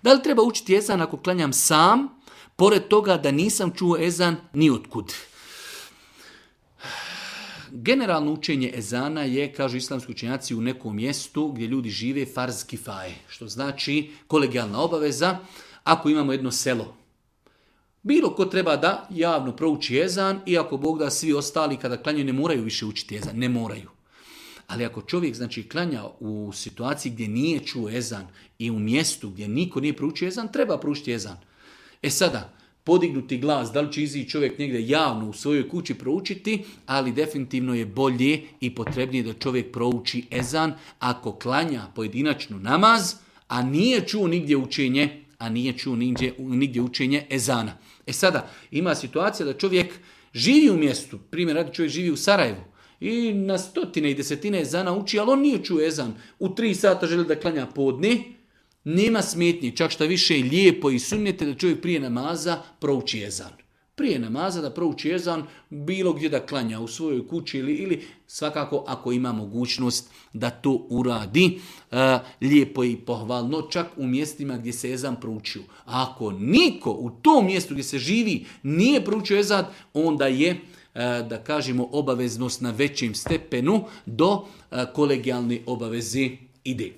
Da li treba učiti ezan ako klanjam sam, pored toga da nisam čuo ezan ni otkud? Generalno učenje ezana je, kažu islamski učenjaci, u nekom mjestu gdje ljudi žive farz kifaje, što znači kolegijalna obaveza. Ako imamo jedno selo, bilo ko treba da javno prouči ezan, i ako Bog da svi ostali kada klanjaju ne moraju više učiti ezan, ne moraju. Ali ako čovjek znači klanja u situaciji gdje nije čuo ezan i u mjestu gdje niko nije proučio ezan, treba proučiti ezan. Sada, podignuti glas, da li će izići čovjek negdje javno u svojoj kući proučiti, ali definitivno je bolje i potrebnije da čovjek prouči ezan ako klanja pojedinačnu namaz, a nije čuo nigdje učenje ezana. Sada, ima situacija da čovjek živi u mjestu, primjer radi, čovjek živi u Sarajevu i na stotine i desetine ezana uči, ali on nije čuo ezan. U 3 sata želi da klanja podne, nema smetnje, čak šta više lijepo i sunnete da čovjek prije namaza prouči ezan. Prije namaza da prouči ezan, bilo gdje da klanja, u svojoj kući ili svakako ako ima mogućnost da to uradi, lijepo i pohvalno, čak u mjestima gdje se ezan proučio. A ako niko u tom mjestu gdje se živi nije proučio ezan, onda je, da kažemo, obaveznost na većem stepenu do kolegijalne obaveze ide.